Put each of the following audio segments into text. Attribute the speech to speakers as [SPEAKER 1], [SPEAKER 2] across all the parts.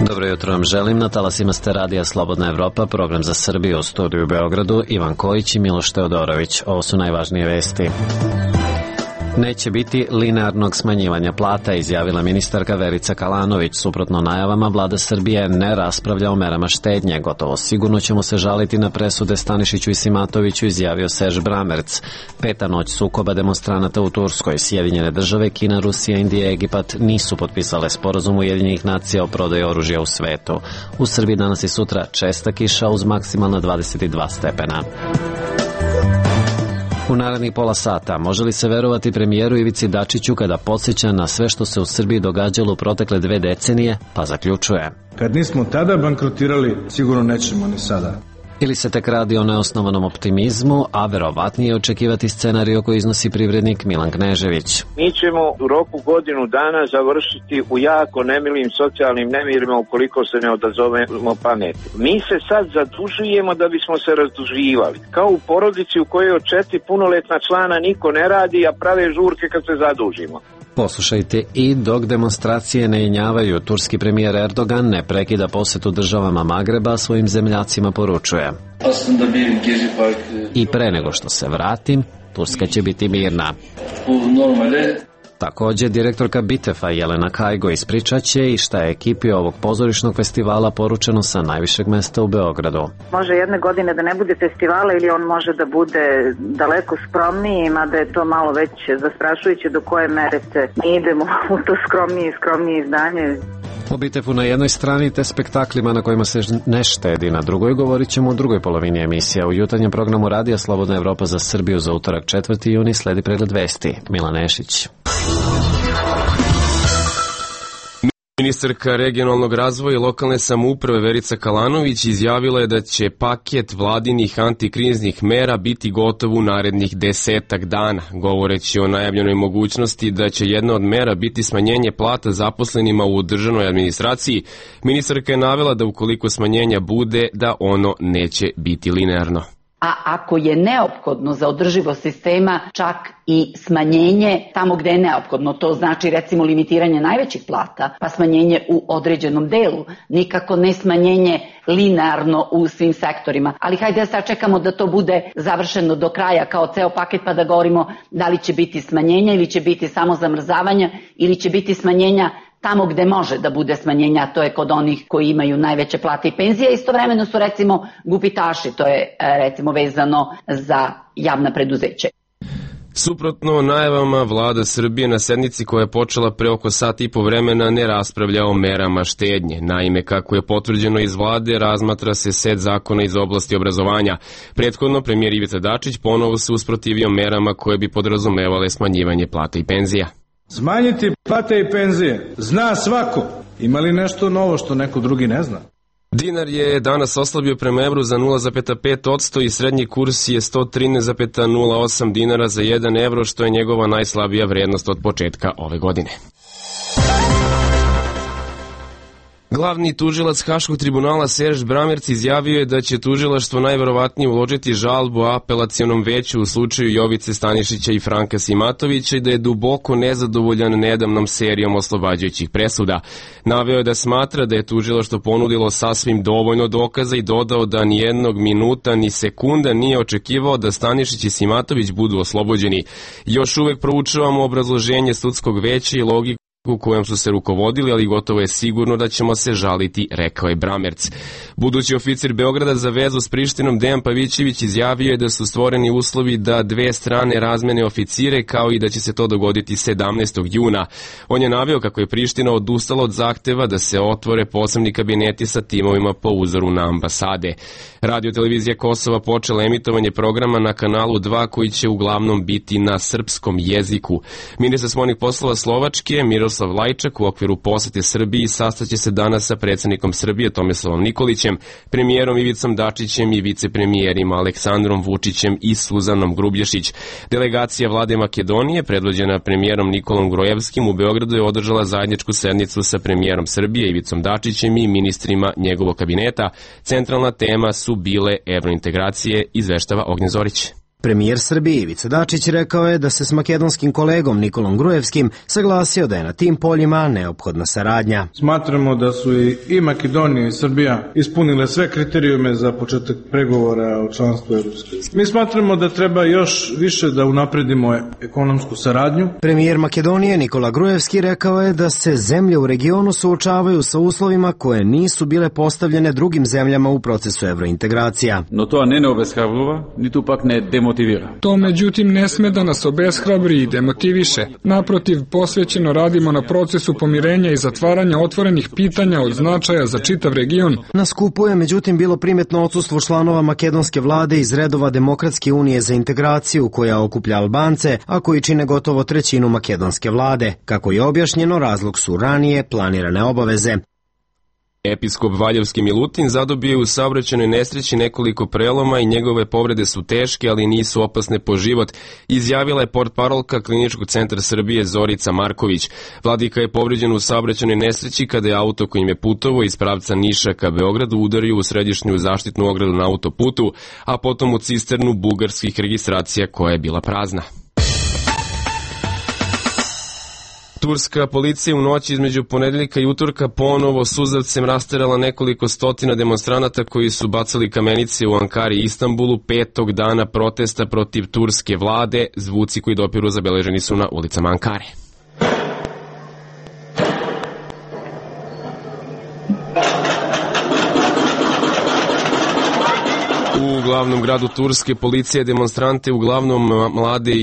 [SPEAKER 1] Dobro jutro vam želim. Na talasima ste radija Slobodna Evropa, program za Srbiju, u studiju u Beogradu, Ivan Kojić i Miloš Teodorović. Ovo su najvažnije vesti. Neće biti linearnog smanjivanja plata, izjavila ministarka Verica Kalanović. Suprotno najavama, vlada Srbije ne raspravlja o merama štednje. Gotovo sigurno ćemo se žaliti na presude Stanišiću i Simatoviću, izjavio Serge Bramerc. Peta noć sukoba demonstranata u Turskoj. Sjedinjene države, Kina, Rusija, Indija i Egipat nisu potpisale sporazum Ujedinjenih nacija o prodaji oružja u svetu. U Srbiji danas i sutra česta kiša uz maksimalno 22 stepena. U narednih pola sata može li se verovati premijeru Ivici Dačiću kada podsjeća na sve što se u Srbiji događalo u protekle 2 decenije, pa zaključuje:
[SPEAKER 2] kad nismo tada bankrotirali, sigurno nećemo ni sada.
[SPEAKER 1] Ili se tek radi o neosnovanom optimizmu, a verovatnije očekivati scenarij koji iznosi privrednik Milan Knežević.
[SPEAKER 3] Mi ćemo u roku godinu dana završiti u jako nemilim socijalnim nemirima ukoliko se ne odazovemo pameti. Mi se sad zadužujemo da bismo se razduživali. Kao u porodici u kojoj od 4 punoletna člana niko ne radi, a prave žurke kad se zadužimo.
[SPEAKER 1] Poslušajte i dok demonstracije ne jenjavaju, turski premijer Erdogan ne prekida posetu državama Magreba, svojim zemljacima poručuje: i pre nego što se vratim, Turska će biti mirna. Također, direktorka Bitefa Jelena Kajgo ispričat će i šta je ekipi ovog pozorišnog festivala poručeno sa najvišeg mesta u Beogradu.
[SPEAKER 4] Može jedne godine da ne bude festivala ili on može da bude daleko skromniji, mada je to malo već zastrašujuće do koje mere se mi idemo u to skromnije izdanje.
[SPEAKER 1] O Bitefu na jednoj strani te spektaklima na kojima se ne štedi na drugoj govorit ćemo u drugoj polovini emisija. U jutarnjem programu radija Slobodna Evropa za Srbiju za utorak 4. juni sledi pregled vesti. Milan Nešić.
[SPEAKER 5] Ministarka regionalnog razvoja i lokalne samouprave Verica Kalanović izjavila je da će paket vladinih antikriznih mera biti gotov u narednih 10 dana. Govoreći o najavljenoj mogućnosti da će jedna od mera biti smanjenje plata zaposlenima u državnoj administraciji, ministarka je navela da ukoliko smanjenja bude, da ono neće biti linearno.
[SPEAKER 6] A ako je neophodno za održivost sistema, čak i smanjenje tamo gde je neophodno, to znači recimo limitiranje najvećih plata, pa smanjenje u određenom delu, nikako ne smanjenje linearno u svim sektorima. Ali hajde da sad čekamo da to bude završeno do kraja kao ceo paket pa da govorimo da li će biti smanjenja ili će biti samo zamrzavanja ili će biti smanjenja tamo gde može da bude smanjenja, a to je kod onih koji imaju najveće plate i penzije. Istovremeno su recimo gubitaši, to je recimo vezano za javna preduzeća.
[SPEAKER 5] Suprotno najavama, vlada Srbije na sednici koja je počela pre oko sat i po vremena ne raspravlja o merama štednje. Naime, kako je potvrđeno iz vlade, razmatra se set zakona iz oblasti obrazovanja. Prethodno, premijer Ivica Dačić ponovo se usprotivio merama koje bi podrazumevale smanjivanje plata i penzija.
[SPEAKER 2] Smanjiti plate i penzije zna svako. Ima li nešto novo što neko drugi ne zna?
[SPEAKER 5] Dinar je danas oslabio prema evru za 0,5% i srednji kurs je 113,08 dinara za 1 evro, što je njegova najslabija vrednost od početka ove godine. Glavni tužilac Haškog tribunala Serge Bramerc izjavio je da će tužilaštvo najverovatnije uložiti žalbu apelacionom veću u slučaju Jovice Stanišića i Franka Simatovića i da je duboko nezadovoljan nedavnom serijom oslobađajućih presuda. Naveo je da smatra da je tužilaštvo ponudilo sasvim dovoljno dokaza i dodao da ni jednog minuta ni sekunda nije očekivao da Stanišić i Simatović budu oslobođeni. Još uvek proučavamo obrazloženje sudskog veća i logiku u kojem su se rukovodili, ali gotovo je sigurno da ćemo se žaliti, rekao je Bramerc. Budući oficir Beograda za vezu s Prištinom Dejan Pavićević izjavio je da su stvoreni uslovi da dve strane razmene oficire, kao i da će se to dogoditi 17. juna. On je naveo kako je Priština odustala od zahteva da se otvore posebni kabineti sa timovima po uzoru na ambasade. Radio-televizija Kosova počela emitovanje programa na kanalu 2 koji će uglavnom biti na srpskom jeziku. Ministar spoljnih poslova Slovačke Miroslav Lajčak u okviru posete Srbiji sastaće se danas sa predsjednikom Srbije Tomislavom Nikolićem, premijerom Ivicom Dačićem i vicepremijerima Aleksandrom Vučićem i Suzanom Grubješić. Delegacija vlade Makedonije, predvođena premijerom Nikolom Grojevskim, u Beogradu je održala zajedničku sednicu sa premijerom Srbije Ivicom Dačićem i ministrima njegovog kabineta. Centralna tema su bile evrointegracije, izveštava Ognjen Zorić.
[SPEAKER 7] Premijer Srbije Ivica Dačić rekao je da se s makedonskim kolegom Nikolom Gruevskim saglasio da je na tim poljima neophodna saradnja.
[SPEAKER 2] Smatramo da su i Makedonija i Srbija ispunile sve kriterijume za početak pregovora o članstvu Evropske. Mi smatramo da treba još više da unapredimo ekonomsku saradnju.
[SPEAKER 7] Premijer Makedonije Nikola Gruevski rekao je da se zemlje u regionu suočavaju sa uslovima koje nisu bile postavljene drugim zemljama u procesu evrointegracija.
[SPEAKER 8] No to ne obeshrabruje, niti pak ne demotivira.
[SPEAKER 9] To međutim ne sme da nas obeshrabri i demotiviše. Naprotiv, posvećeno radimo na procesu pomirenja i zatvaranja otvorenih pitanja od značaja za čitav region.
[SPEAKER 7] Na skupu je međutim bilo primetno odsustvo članova makedonske vlade iz redova Demokratske unije za integraciju koja okuplja Albance, a koji čine gotovo trećinu makedonske vlade. Kako je objašnjeno, razlog su ranije planirane obaveze.
[SPEAKER 5] Episkop Valjevski Milutin zadobio je u saobraćajnoj nesreći nekoliko preloma i njegove povrede su teške, ali nisu opasne po život, izjavila je portparolka Kliničkog centra Srbije Zorica Marković. Vladika je povređen u saobraćajnoj nesreći kada je auto kojim je putovao iz pravca Niša ka Beogradu udario u središnju zaštitnu ogradu na autoputu, a potom u cisternu bugarskih registracija koja je bila prazna. Turska policija u noći između ponedeljka i utorka ponovo suzavcem rasterala nekoliko stotina demonstranata koji su bacali kamenice u Ankari i Istanbulu 5. dana protesta protiv turske vlade. Zvuci koji dopiru zabeleženi su na ulicama Ankare. U glavnom gradu Turske policija demonstrante, uglavnom mlade,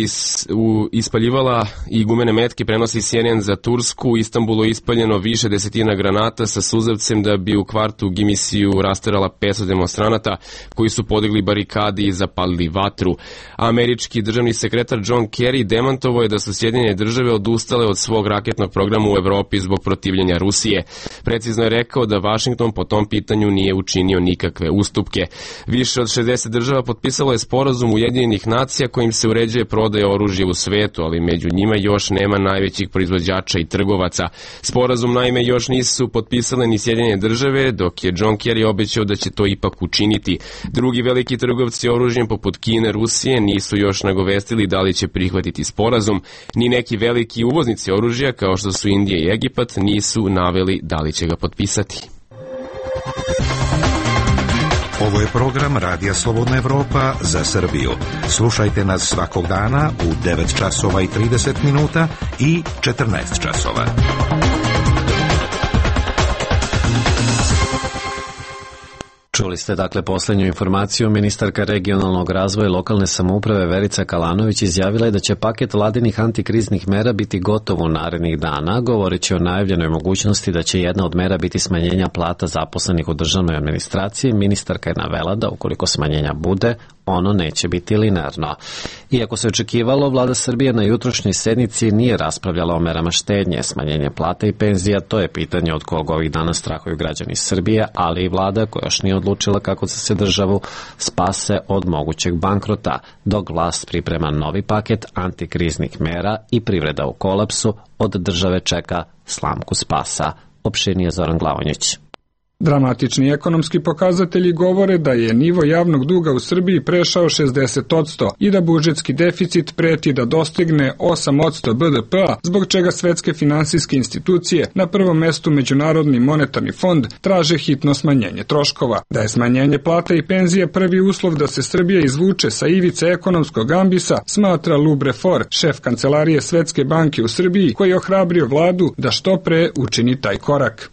[SPEAKER 5] ispaljivala i gumene metke, prenosi CNN za Tursku. U Istanbulu je ispaljeno više desetina granata sa suzavcem da bi u kvartu Gimisiju rasterala 500 demonstranata koji su podigli barikade i zapalili vatru. Američki državni sekretar John Kerry demantovao je da su Sjedinjene države odustale od svog raketnog programa u Evropi zbog protivljenja Rusije. Precizno je rekao da Vašington po tom pitanju nije učinio nikakve ustupke. Više od 60 država potpisalo je sporazum Ujedinjenih nacija kojim se uređuje prodaja oružja u svetu, ali među njima još nema najvećih proizvođača i trgovaca. Sporazum naime još nisu potpisale ni Sjedinjene države, dok je John Kerry obećao da će to ipak učiniti. Drugi veliki trgovci oružjem poput Kine, Rusije nisu još nagovestili da li će prihvatiti sporazum, ni neki veliki uvoznici oružja kao što su Indija i Egipat nisu naveli da li će ga potpisati.
[SPEAKER 10] Ovo je program Radija Slobodna Evropa za Srbiju. Slušajte nas svakog dana u 9 časova i 30 minuta i 14 časova.
[SPEAKER 1] Čuli ste dakle posljednju informaciju. Ministarka regionalnog razvoja i lokalne samouprave Verica Kalanović izjavila je da će paket vladinih antikriznih mera biti gotov u narednih dana, govoreći o najavljenoj mogućnosti da će jedna od mera biti smanjenja plata zaposlenih u državnoj administraciji. Ministarka je navela da ukoliko smanjenja bude, ono neće biti linearno. Iako se očekivalo, vlada Srbije na jutrošnjoj sednici nije raspravljala o merama štednje, smanjenje plata i penzija. To je pitanje od kog ovih dana strahuju građani Srbije, ali i vlada koja još nije odlučila kako da se državu spase od mogućeg bankrota, dok vlast priprema novi paket antikriznih mera i privreda u kolapsu od države čeka slamku spasa. Opširnije Zoran Glavonjić.
[SPEAKER 9] Dramatični ekonomski pokazatelji govore da je nivo javnog duga u Srbiji prešao 60% i da budžetski deficit preti da dostigne 8% BDP-a, zbog čega svetske finansijske institucije, na prvom mestu Međunarodni monetarni fond, traže hitno smanjenje troškova. Da je smanjenje plata i penzije prvi uslov da se Srbija izvuče sa ivice ekonomskog ambisa, smatra Lou Brefort, šef kancelarije Svetske banke u Srbiji, koji je ohrabrio vladu da što pre učini taj korak.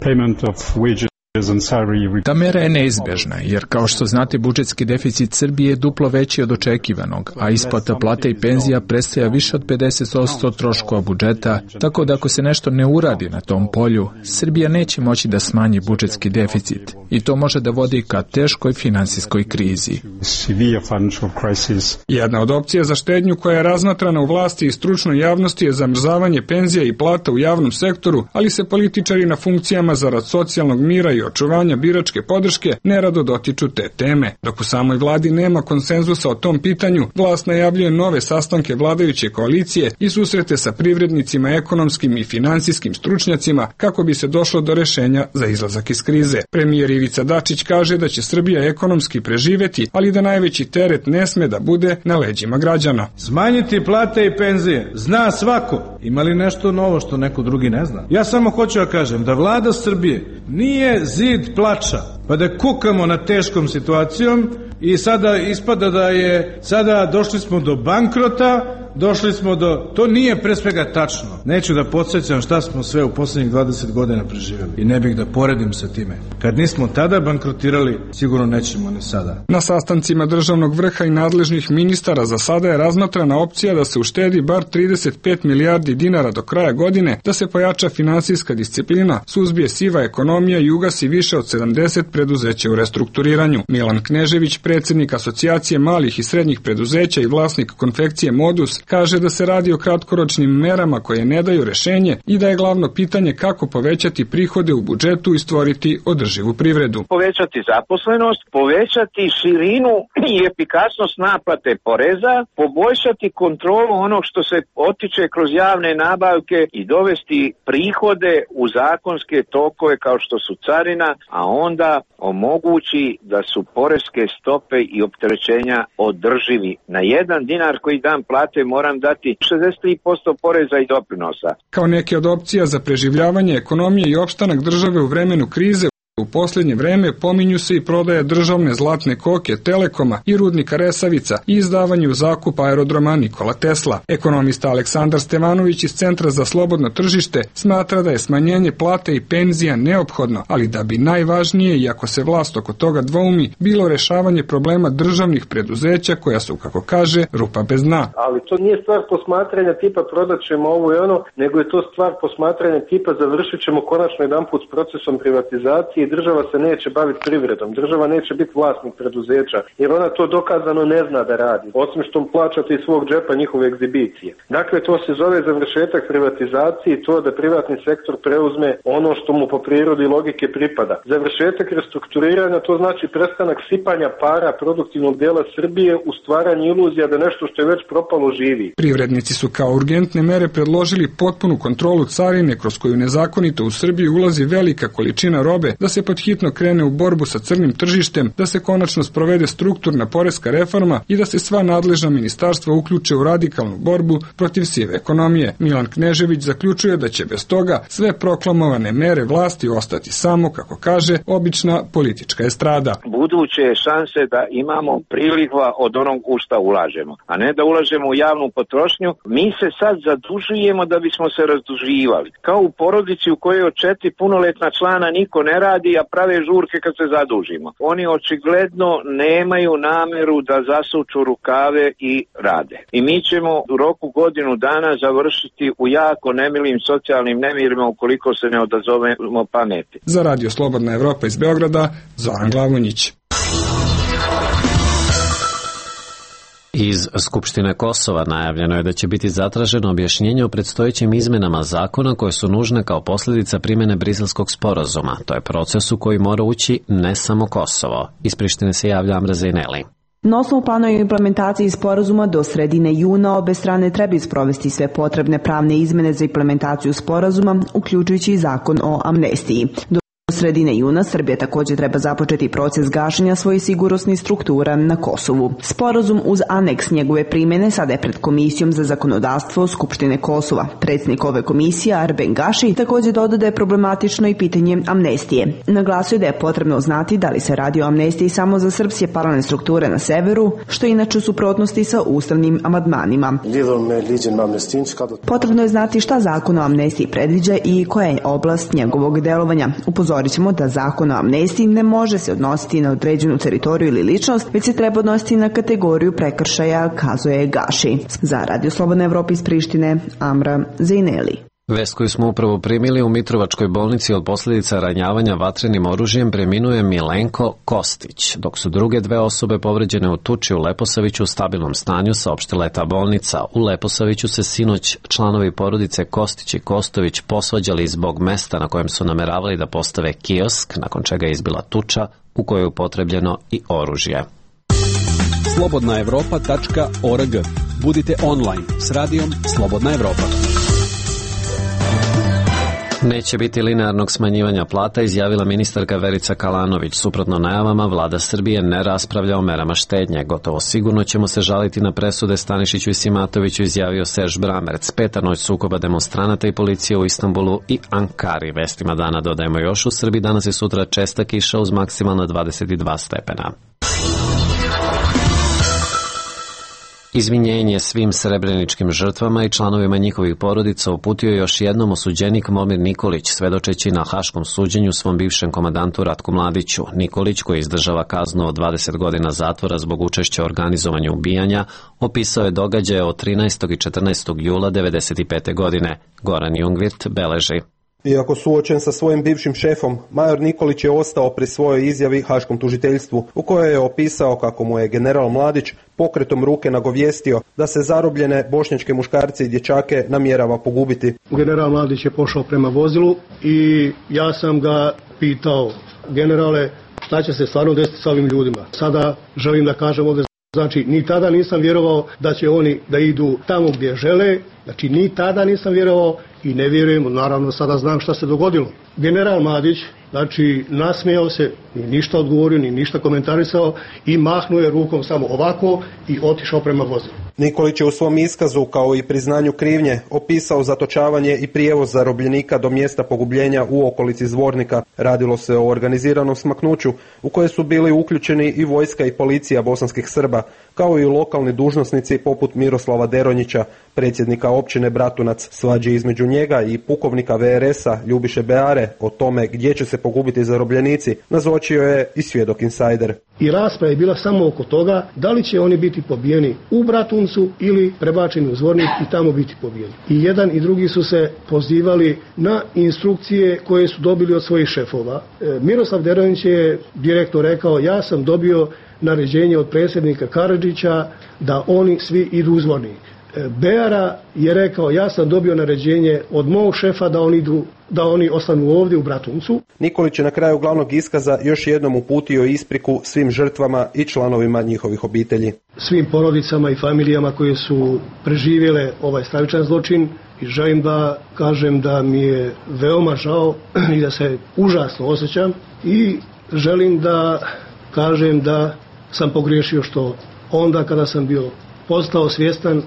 [SPEAKER 11] Ta mera je neizbežna, jer kao što znate budžetski deficit Srbije je duplo veći od očekivanog, a isplata plata i penzija predstavlja više od 50% troškova budžeta, tako da ako se nešto ne uradi na tom polju, Srbija neće moći da smanji budžetski deficit i to može da vodi ka teškoj finansijskoj krizi.
[SPEAKER 9] Jedna od opcija za štednju koja je razmatrana u vlasti i stručnoj javnosti je zamrzavanje penzija i plata u javnom sektoru, ali se političari na funkcijama zarad socijalnog mira i očuvanja biračke podrške nerado dotiču te teme. Dok u samoj vladi nema konsenzusa o tom pitanju, vlast najavljuje nove sastanke vladajuće koalicije i susrete sa privrednicima, ekonomskim i finansijskim stručnjacima kako bi se došlo do rešenja za izlazak iz krize. Premijer Ivica Dačić kaže da će Srbija ekonomski preživeti, ali da najveći teret ne sme da bude na leđima građana.
[SPEAKER 2] Smanjiti plate i penzije zna svako. Ima li nešto novo što neko drugi ne zna? Ja samo hoću da kažem da vlada Srbije nije zid plača, pa da kukamo na teškom situacijom i sada ispada da je, sada došli smo do bankrota, došli smo do... To nije pre svega tačno. Neću da podsjećam šta smo sve u poslednjih 20 godina preživjeli i ne bih da poredim sa time. Kad nismo tada bankrotirali, sigurno nećemo ni sada.
[SPEAKER 9] Na sastancima državnog vrha i nadležnih ministara za sada je razmatrana opcija da se uštedi bar 35 milijardi dinara do kraja godine, da se pojača finansijska disciplina, suzbije siva ekonomija i ugasi više od 70 preduzeća u restrukturiranju. Milan Knežević, predsjednik Asocijacije malih i srednjih preduzeća i vlasnik konfekcije Modus, kaže da se radi o kratkoročnim merama koje ne daju rešenje i da je glavno pitanje kako povećati prihode u budžetu i stvoriti održivu privredu.
[SPEAKER 3] Povećati zaposlenost, povećati širinu i efikasnost naplate poreza, poboljšati kontrolu onog što se otiče kroz javne nabavke i dovesti prihode u zakonske tokove kao što su carina, a onda omogući da su poreske stope i opterećenja održivi. Na 1 dinar koji dam plate moram dati 63% poreza i doprinosa.
[SPEAKER 9] Kao neke od opcija za preživljavanje ekonomije i opstanak države u vremenu krize, u posljednje vreme pominju se i prodaja državne zlatne koke Telekoma i rudnika Resavica i izdavanje u zakup aerodroma Nikola Tesla. Ekonomista Aleksandar Stevanović iz Centra za slobodno tržište smatra da je smanjenje plate i penzija neophodno, ali da bi najvažnije, iako se vlast oko toga dvoumi, bilo rešavanje problema državnih preduzeća koja su, kako kaže, rupa bez dna.
[SPEAKER 12] Ali to nije stvar posmatranja tipa prodat ćemo ovo i ono, nego je to stvar posmatranja tipa završit ćemo konačno jedanput s procesom privatizacije. Država se neće baviti privredom, država neće biti vlasnik preduzeća, jer ona to dokazano ne zna da radi, osim što plaćate iz svog džepa njihove egzibicije. Dakle, to se zove završetak privatizacije i to da privatni sektor preuzme ono što mu po prirodi logike pripada. Završetak restrukturiranja, to znači prestanak sipanja para produktivnog dijela Srbije u stvaranje iluzija da nešto što je već propalo živi.
[SPEAKER 9] Privrednici su kao urgentne mere predložili potpunu kontrolu carine kroz koju nezakonito u Srbiju ulazi velika količina robe, da se pod hitno krene u borbu sa crnim tržištem, da se konačno sprovede strukturna poreska reforma i da se sva nadležna ministarstva uključe u radikalnu borbu protiv sive ekonomije. Milan Knežević zaključuje da će bez toga sve proklamovane mere vlasti ostati samo, kako kaže, obična politička estrada.
[SPEAKER 3] Buduće šanse da imamo priliva od onog u šta ulažemo, a ne da ulažemo u javnu potrošnju. Mi se sad zadužujemo da bismo se razduživali. Kao u porodici u kojoj od 4 punoletna člana niko ne radi, a prave žurke kad se zadužimo. Oni očigledno nemaju nameru da zasuču rukave i rade. I mi ćemo u roku godinu dana završiti u jako nemilim socijalnim nemirima ukoliko se ne odazovemo pameti.
[SPEAKER 9] Za Radio Slobodna Evropa iz Beograda, Zoran Glavonjić.
[SPEAKER 1] Iz Skupštine Kosova najavljeno je da će biti zatraženo objašnjenje o predstojećim izmenama zakona koje su nužne kao posljedica primjene Briselskog sporazuma. To je proces u koji mora ući ne samo Kosovo. Iz Prištine se javlja Amra Zejneli.
[SPEAKER 13] Na osnovu plana o implementaciji sporazuma do sredine juna obe strane trebaju sprovesti sve potrebne pravne izmene za implementaciju sporazuma, uključujući i zakon o amnestiji. Do sredine juna Srbija također treba započeti proces gašenja svojih sigurnosnih struktura na Kosovu. Sporazum uz aneks njegove primjene sada je pred Komisijom za zakonodavstvo Skupštine Kosova. Predsjednik ove komisije Arben Gaši također dodao da je problematično i pitanje amnestije. Naglasio je da je potrebno znati da li se radi o amnestiji samo za srpske paralelne strukture na severu, što je inače u suprotnosti sa ustavnim amandmanima. Potrebno je znati šta zakon o amnestiji predviđa i koja je oblast njegovog delovanja. Upozorit ćemo da zakon o amnestiji ne može se odnositi na određenu teritoriju ili ličnost, već se treba odnositi na kategoriju prekršaja, kazuje Gaši. Za Radio Slobodna Evropa iz Prištine, Amra Zejneli.
[SPEAKER 1] Vest koju smo upravo primili: u Mitrovačkoj bolnici od posljedica ranjavanja vatrenim oružjem preminuje Milenko Kostić, dok su druge dve osobe povređene u tuči u Leposaviću u stabilnom stanju, saopštila je ta bolnica. U Leposaviću se sinoć članovi porodice Kostić i Kostović posvađali zbog mesta na kojem su nameravali da postave kiosk, nakon čega je izbila tuča u kojoj je upotrebljeno i oružje.
[SPEAKER 14] slobodnaevropa.org. Budite online s radijom Slobodna Evropa.
[SPEAKER 1] Neće biti linearnog smanjivanja plata, izjavila ministarka Verica Kalanović. Suprotno najavama, vlada Srbije ne raspravlja o merama štednje. Gotovo sigurno ćemo se žaliti na presude Stanišiću i Simatoviću, izjavio Serž Bramerc. Peta noć sukoba demonstranata i policije u Istanbulu i Ankari. Vestima dana dodajemo još: u Srbiji danas i sutra česta kiša uz maksimalno 22 stepena. Izvinjenje svim srebreničkim žrtvama i članovima njihovih porodica uputio je još jednom osuđenik Momir Nikolić, svedočeći na haškom suđenju svom bivšem komandantu Ratku Mladiću. Nikolić, koji izdržava kaznu od 20 godina zatvora zbog učešća u organizovanju ubijanja, opisao je događaje od 13. i 14. jula 1995. godine. Goran Jungwirth beleži:
[SPEAKER 15] iako suočen sa svojim bivšim šefom, major Nikolić je ostao pri svojoj izjavi haškom tužiteljstvu, u kojoj je opisao kako mu je general Mladić pokretom ruke nagovijestio da se zarobljene bošnjačke muškarce i dječake namjerava pogubiti.
[SPEAKER 16] General Mladić je pošao prema vozilu i ja sam ga pitao: generale, šta će se stvarno desiti sa ovim ljudima? Sada želim da kažem ovdje, znači ni tada nisam vjerovao da će oni da idu tamo gdje žele, znači ni tada nisam vjerovao i ne vjerujem, naravno sada znam šta se dogodilo. General Mladić, znači, nasmijao se, ni ništa odgovorio, ni ništa komentarisao i mahnuo je rukom samo ovako i otišao prema vozilu.
[SPEAKER 15] Nikolić je u svom iskazu, kao i priznanju krivnje, opisao zatočavanje i prijevoz zarobljenika do mjesta pogubljenja u okolici Zvornika. Radilo se o organiziranom smaknuću u koje su bili uključeni i vojska i policija bosanskih Srba, kao i lokalni dužnosnici poput Miroslava Deronjića, predsjednika općine Bratunac. Svađe između njega i pukovnika VRS-a Ljubiše Beare o tome gdje će se pogubiti zarobljenici nazočio je i svjedok insajder.
[SPEAKER 16] I rasprava je bila samo oko toga da li će oni biti pobijeni u Bratuncu ili prebačeni u Zvornik i tamo biti pobijeni. I jedan i drugi su se pozivali na instrukcije koje su dobili od svojih šefova. Miroslav Deronjić je direktno rekao: ja sam dobio naređenje od predsjednika Karadžića da oni svi idu u Zvornik. Beara je rekao: ja sam dobio naređenje od mog šefa da oni ostanu ovdje u Bratuncu.
[SPEAKER 15] Nikolić je na kraju glavnog iskaza još jednom uputio ispriku svim žrtvama i članovima njihovih obitelji.
[SPEAKER 16] Svim porodicama i familijama koje su preživjele ovaj stravičan zločin, i želim da kažem da mi je veoma žao i da se užasno osjećam, i želim da kažem da sam pogriješio što onda kada sam bio postao svjestan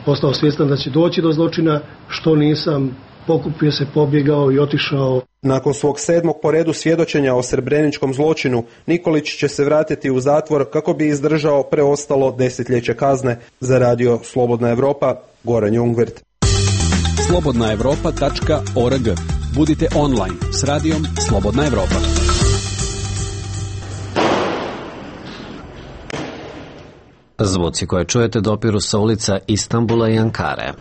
[SPEAKER 16] postao svjestan da će doći do zločina, što nisam pokupio se, pobjegao i otišao.
[SPEAKER 15] Nakon svog 7. po redu svjedočenja o srebreničkom zločinu, Nikolić će se vratiti u zatvor kako bi izdržao preostalo desetljeće kazne. Za radio Slobodna Evropa, Goran Jungwirth.
[SPEAKER 14] slobodnaevropa.org. Budite online s radijom Slobodna Evropa.
[SPEAKER 1] Zvuci koje čujete dopiru sa ulica Istanbula i Ankare.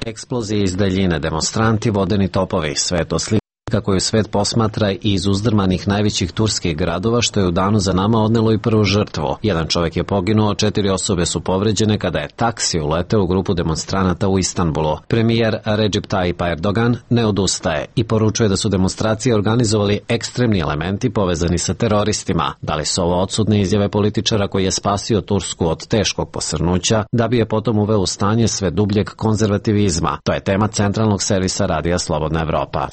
[SPEAKER 1] Eksplozije iz daljine, demonstranti, vodeni topovi, sve to slika koju svet posmatra iz uzdrmanih najvećih turskih gradova, što je u danu za nama odnelo i prvu žrtvu. Jedan čovjek je poginuo, 4 osobe su povređene kada je taksi uleteo u grupu demonstranata u Istanbulu. Premijer Recep Tayyip Erdogan ne odustaje i poručuje da su demonstracije organizovali ekstremni elementi povezani sa teroristima. Da li su ovo odsudne izjave političara koji je spasio Tursku od teškog posrnuća, da bi je potom uveo u stanje sve dubljeg konzervativizma? To je tema centralnog servisa Radija Slobodna Evropa.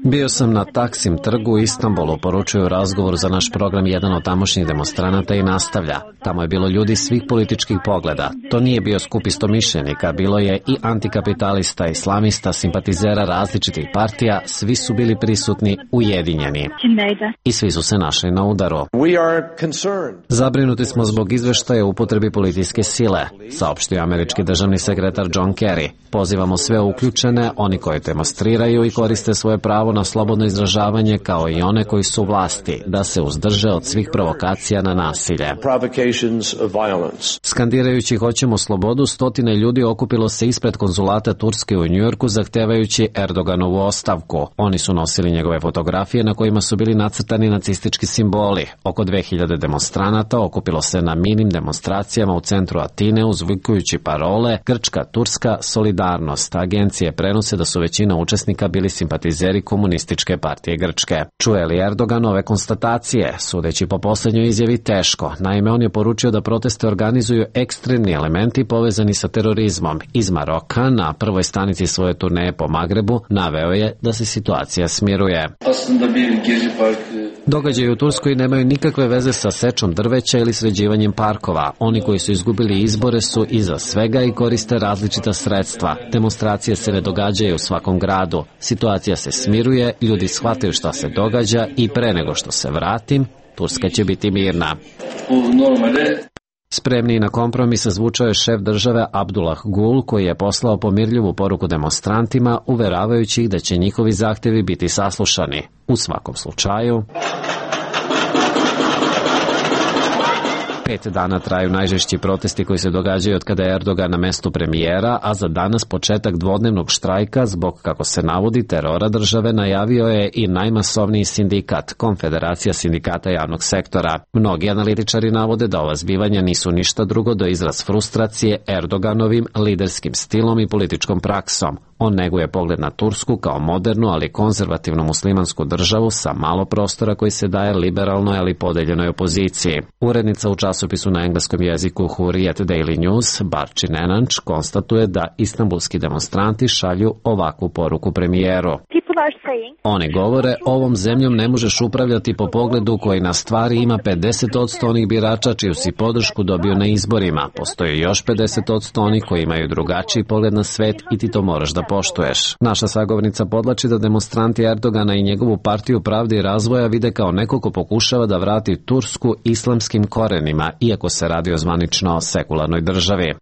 [SPEAKER 1] Bio sam na Taksim trgu u Istanbulu, poručuje u razgovoru za naš program jedan od tamošnjih demonstranata i nastavlja: tamo je bilo ljudi svih političkih pogleda. To nije bio skup istomišljenika, bilo je i antikapitalista, islamista, simpatizera različitih partija, svi su bili prisutni, ujedinjeni. I svi su se našli na udaru. Zabrinuti smo zbog izveštaja o upotrebi policijske sile, saopštio američki državni sekretar John Kerry. Pozivamo sve uključene, oni koji demonstriraju, smeju i koriste svoje pravo na slobodno izražavanje, kao i one koji su u vlasti, da se uzdrže od svih provokacija na nasilje. Skandirajući hoćemo slobodu, stotine ljudi okupilo se ispred konzulata Turske u Njujorku zahtevajući Erdoganovu ostavku. Oni su nosili njegove fotografije na kojima su bili nacrtani nacistički simboli. Oko 2000 demonstranata okupilo se na minim demonstracijama u centru Atine uzvikujući parole Grčka, Turska, solidarnost. Agencije prenose da su većina učesnika bili simpatizeri Komunističke partije Grčke. Čuje li Erdogan ove konstatacije? Sudeći po posljednjoj izjavi teško. Naime, on je poručio da proteste organizuju ekstremni elementi povezani sa terorizmom. Iz Maroka, na prvoj stanici svoje turneje po Magrebu, naveo je da se situacija smiruje. Događaji u Turskoj nemaju nikakve veze sa sečom drveća ili sređivanjem parkova. Oni koji su izgubili izbore su iza svega i koriste različita sredstva. Demonstracije se ne događaju u svakom gradu. Situacija se smiruje, ljudi shvataju šta se događa i pre nego što se vratim, Turska će biti mirna. Spremniji na kompromis zvučao je šef države Abdullah Gul, koji je poslao pomirljivu poruku demonstrantima, uveravajući ih da će njihovi zahtevi biti saslušani. U svakom slučaju, 5 dana traju najžešći protesti koji se događaju od kada je Erdogan na mestu premijera, a za danas početak dvodnevnog štrajka zbog, kako se navodi, terora države najavio je i najmasovniji sindikat, Konfederacija sindikata javnog sektora. Mnogi analitičari navode da ova zbivanja nisu ništa drugo do izraz frustracije Erdoganovim liderskim stilom i političkom praksom. On neguje pogled na Tursku kao modernu, ali konzervativnu muslimansku državu sa malo prostora koji se daje liberalnoj, ali podeljenoj opoziciji. Urednica u časopisu na engleskom jeziku Hurriyet Daily News, Barči Nenanč, konstatuje da istanbulski demonstranti šalju ovakvu poruku premijeru. Oni govore, ovom zemljom ne možeš upravljati po pogledu koji na stvari ima 50% onih birača čiju si podršku dobio na izborima. Postoji još 50% onih koji imaju drugačiji pogled na svet i ti to moraš da poštuješ. Naša sagovornica podlači da demonstranti Erdogana i njegovu partiju pravde i razvoja vide kao neko ko pokušava da vrati Tursku islamskim korenima, iako se radi o zvanično sekularnoj državi.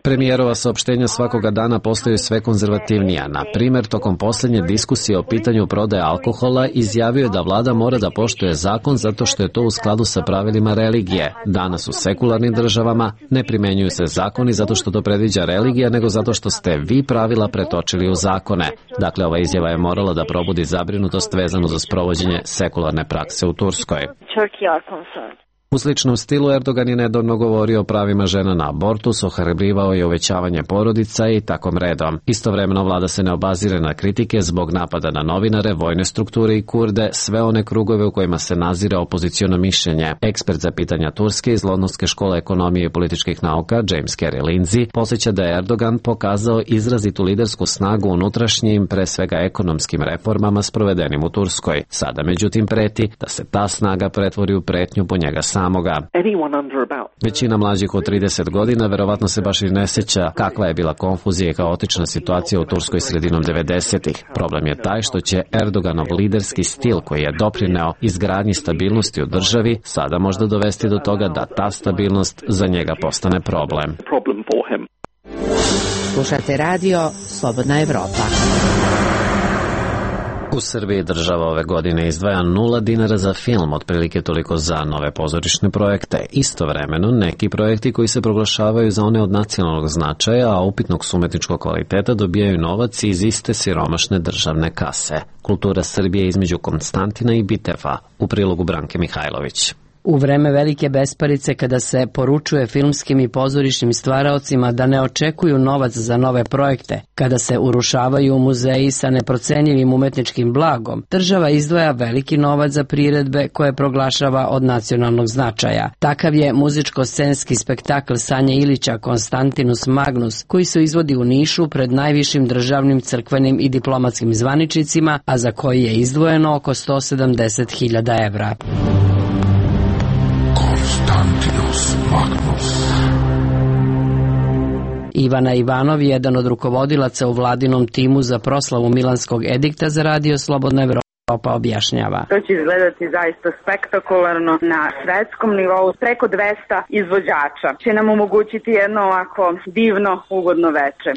[SPEAKER 1] Premijerova saopštenja svakoga dana postaju sve konzervativnija. Na primjer, tokom posljednje diskusije o pitanju prodaje alkohola izjavio je da vlada mora da poštuje zakon zato što je to u skladu sa pravilima religije. Danas u sekularnim državama ne primenjuju se zakoni zato što to predviđa religija, nego zato što ste vi pravila pretočili u zakone. Dakle, ova izjava je morala da probudi zabrinutost vezanu za sprovođenje sekularne prakse u Turskoj. U sličnom stilu Erdogan je nedavno govorio o pravima žena na abortus, ohrabrivao je uvećavanje porodica i takom redom. Istovremeno vlada se ne obazire na kritike zbog napada na novinare, vojne strukture i Kurde, sve one krugove u kojima se nazire opoziciono mišljenje. Ekspert za pitanja Turske iz Londonske škole ekonomije i političkih nauka, James Carey Lindsay, podsjeća da je Erdogan pokazao izrazitu lidersku snagu unutrašnjim, pre svega ekonomskim reformama sprovedenim u Turskoj. Sada međutim preti da se ta snaga pretvori u pretnju po njega samoga. Većina mlađih od 30 godina verovatno se baš i ne sjeća kakva je bila konfuzija i kaotična situacija u Turskoj sredinom 90-ih. Problem je taj što će Erdoganov liderski stil, koji je doprineo izgradnji stabilnosti u državi, sada možda dovesti do toga da ta stabilnost za njega postane problem.
[SPEAKER 17] Slušate radio Slobodna Evropa.
[SPEAKER 1] U Srbiji država ove godine izdvaja 0 dinara za film, otprilike toliko za nove pozorišne projekte. Istovremeno, neki projekti koji se proglašavaju za one od nacionalnog značaja, a upitnog su umetničkog kvaliteta, dobijaju novac iz iste siromašne državne kase. Kultura Srbije između Konstantina i Biteva, u prilogu Branke Mihajlović.
[SPEAKER 18] U vreme velike besparice, kada se poručuje filmskim i pozorišnim stvaraocima da ne očekuju novac za nove projekte, kada se urušavaju muzeji sa neprocenjivim umetničkim blagom, država izdvaja veliki novac za priredbe koje proglašava od nacionalnog značaja. Takav je muzičko-scenski spektakl Sanje Ilića Konstantinus Magnus, koji se izvodi u Nišu pred najvišim državnim, crkvenim i diplomatskim zvaničnicima, a za koji je izdvojeno oko 170.000 evra.
[SPEAKER 19] Konstantinus Magnus.
[SPEAKER 18] Ivana Ivanov, jedan od rukovodilaca u vladinom timu za proslavu Milanskog edikta za radio Slobodna Evropa, objašnjava.
[SPEAKER 4] To će izgledati zaista spektakularno na svetskom nivou. Preko 200 izvođača će nam omogućiti jedno ovako divno, ugodno veče.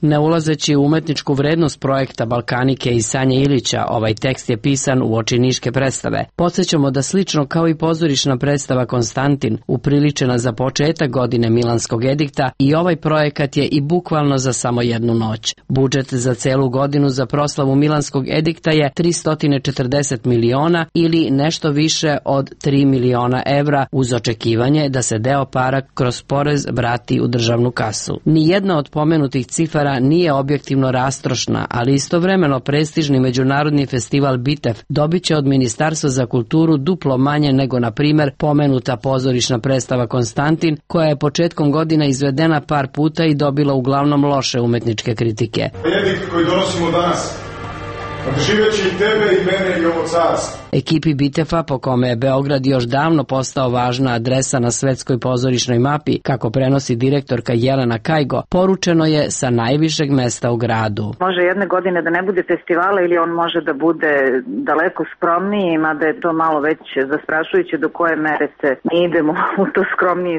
[SPEAKER 18] Ne ulazeći u umetničku vrednost projekta Balkanike i Sanje Ilića, ovaj tekst je pisan uoči niške predstave. Podsjećamo da slično kao i pozorišna predstava Konstantin, upriličena za početak godine Milanskog edikta, i ovaj projekat je i bukvalno za samo jednu noć. Budžet za celu godinu za proslavu Milanskog edikta je 340 miliona ili nešto više od 3 miliona evra, uz očekivanje da se deo para kroz porez vrati u državnu kasu. Nijedna od pomenutih cifara nije objektivno rastrošna, ali istovremeno prestižni međunarodni festival Bitev dobit će od Ministarstva za kulturu duplo manje nego, na primer, pomenuta pozorišna predstava Konstantin, koja je početkom godina izvedena par puta i dobila uglavnom loše umetničke kritike.
[SPEAKER 20] Edikt koji donosimo danas, odživeći i tebe i mene i ovo carstvo.
[SPEAKER 18] Ekipi Bitefa, po kome je Beograd još davno postao važna adresa na svetskoj pozorišnoj mapi, kako prenosi direktorka Jelena Kajgo, poručeno je sa najvišeg mesta u gradu.
[SPEAKER 4] Može jedne godine da ne bude festivala ili on može da bude daleko skromniji, mada je to malo već zastrašujuće do koje mere se mi idemo u to skromnije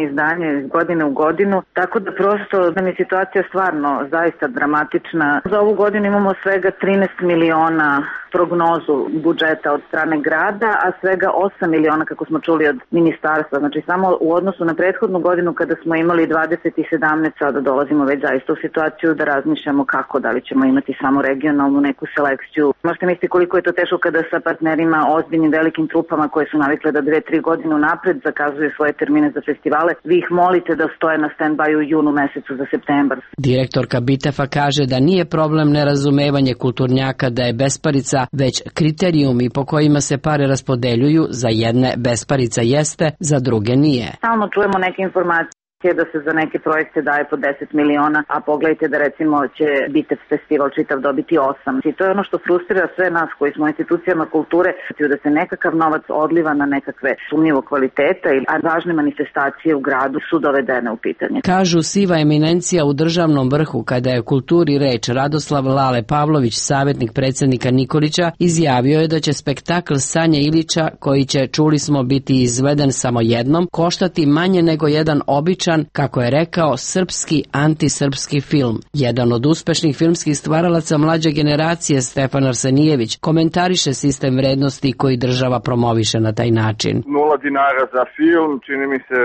[SPEAKER 4] izdanje iz godine u godinu. Tako da prosto nam je situacija stvarno zaista dramatična. Za ovu godinu imamo svega 13 miliona prognozu budžeta od strane grada, a svega 8 miliona kako smo čuli od ministarstva. Znači samo u odnosu na prethodnu godinu kada smo imali 20 i 17, sada dolazimo već zaista u situaciju da razmišljamo kako, da li ćemo imati samo regionalnu neku selekciju. Možete misliti koliko je to teško kada sa partnerima, ozbiljnim velikim trupama koje su navikle da 2-3 godine unapred zakazuju svoje termine za festivale, vi ih molite da stoje na stand-by u junu mesecu za septembar.
[SPEAKER 18] Direktorka Bitefa kaže da nije problem nerazumevanje kulturnjaka da je besparica, već kriterijumi po kojima se pare raspodeljuju, za jedne besparica jeste, za druge nije.
[SPEAKER 4] Stalno čujemo neke informacije da se za neke projekte daje po 10 miliona, a pogledajte da recimo će Bitev festival čitav dobiti 8. I to je ono što frustrira sve nas koji smo u institucijama kulture, da se nekakav novac odliva na nekakve sumnjivo kvaliteta, a važne manifestacije u gradu su dovedene u pitanje.
[SPEAKER 18] Kažu siva eminencija u državnom vrhu kada je o kulturi reč. Radoslav Lale Pavlović, savjetnik predsjednika Nikolića, izjavio je da će spektakl Sanje Ilića, koji će, čuli smo, biti izveden samo jednom, koštati manje nego jedan običan, kako je rekao, srpski antisrpski film. Jedan od uspešnih filmskih stvaralaca mlađe generacije, Stefan Arsenijević, komentariše sistem vrednosti koji država promoviše na taj način.
[SPEAKER 21] 0 dinara za film, čini mi se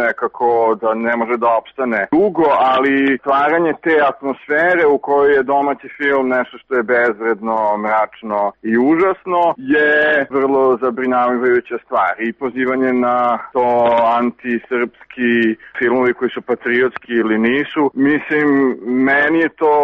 [SPEAKER 21] nekako da ne može da opstane dugo, ali stvaranje te atmosfere u kojoj je domaći film nešto što je bezvredno, mračno i užasno je vrlo zabrinjavajuća stvar. I pozivanje na to antisrpski filmovi koji su patriotski ili nisu. Mislim, meni je to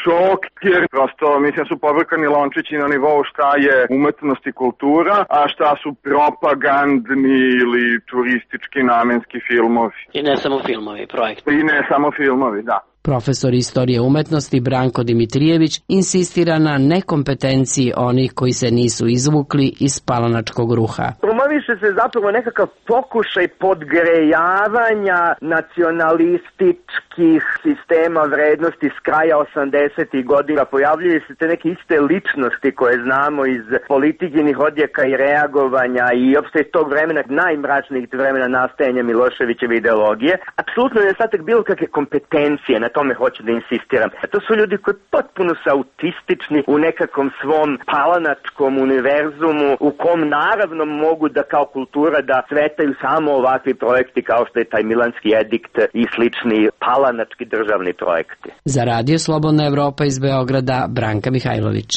[SPEAKER 21] šok, jer prosto mislim su pobrkani lončići na nivou šta je umetnost i kultura, a šta su propagandni ili turistički namenski filmovi.
[SPEAKER 18] I ne samo filmovi, projekti.
[SPEAKER 21] I ne samo filmovi, da.
[SPEAKER 18] Profesor istorije umetnosti Branko Dimitrijević insistira na nekompetenciji onih koji se nisu izvukli iz palanačkog ruha.
[SPEAKER 22] Promoviše se zapravo nekakav pokušaj podgrejavanja nacionalističkih sistema vrednosti s kraja 80. godina. Pojavljuju se te neke iste ličnosti koje znamo iz politikinih odjeka i reagovanja i opšte iz tog vremena, najmračnijih vremena nastajanja Miloševićeve ideologije. Apsolutno je nedostatak bilo kakve kompetencije, na tome hoću da insistiram. To su ljudi koji potpuno su autistični u nekakvom svom palanačkom univerzumu, u kom naravno mogu da kao kultura da cvetaju samo ovakvi projekti kao što je taj Milanski edikt i slični palanački državni projekti.
[SPEAKER 18] Za Radio Slobodna Evropa iz Beograda, Branka Mihajlović.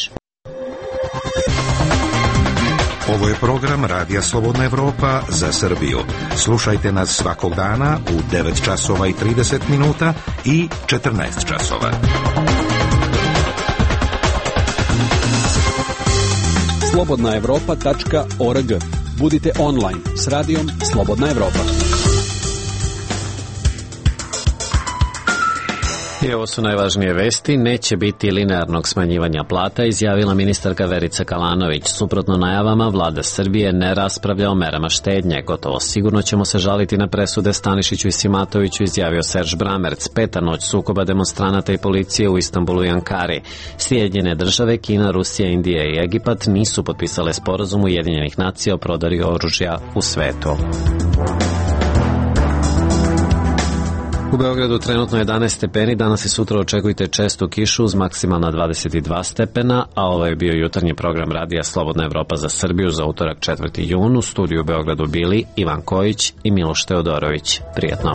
[SPEAKER 10] Ovo je program Radija Slobodna Evropa za Srbiju. Slušajte nas svakog dana u 9 časova i 30 minuta i 14 časova.
[SPEAKER 14] slobodnaevropa.org. Budite online s radijom Slobodna Evropa.
[SPEAKER 1] I ovo su najvažnije vesti. Neće biti linearnog smanjivanja plata, izjavila ministarka Verica Kalanović. Suprotno najavama, vlada Srbije ne raspravlja o merama štednje. Gotovo sigurno ćemo se žaliti na presude Stanišiću i Simatoviću, izjavio Serž Bramerc. Peta noć sukoba demonstranata i policije u Istanbulu i Ankari. Sjedinjene države, Kina, Rusija, Indija i Egipat nisu potpisale sporazum Ujedinjenih nacija o prodaji oružja u svetu. U Beogradu trenutno 11 stepeni, danas i sutra očekujte čestu kišu uz maksimalna 22 stepena, a ovo je bio jutarnji program radija Slobodna Evropa za Srbiju za utorak 4. jun. U studiju u Beogradu bili Ivan Kojić i Miloš Teodorović. Prijetno.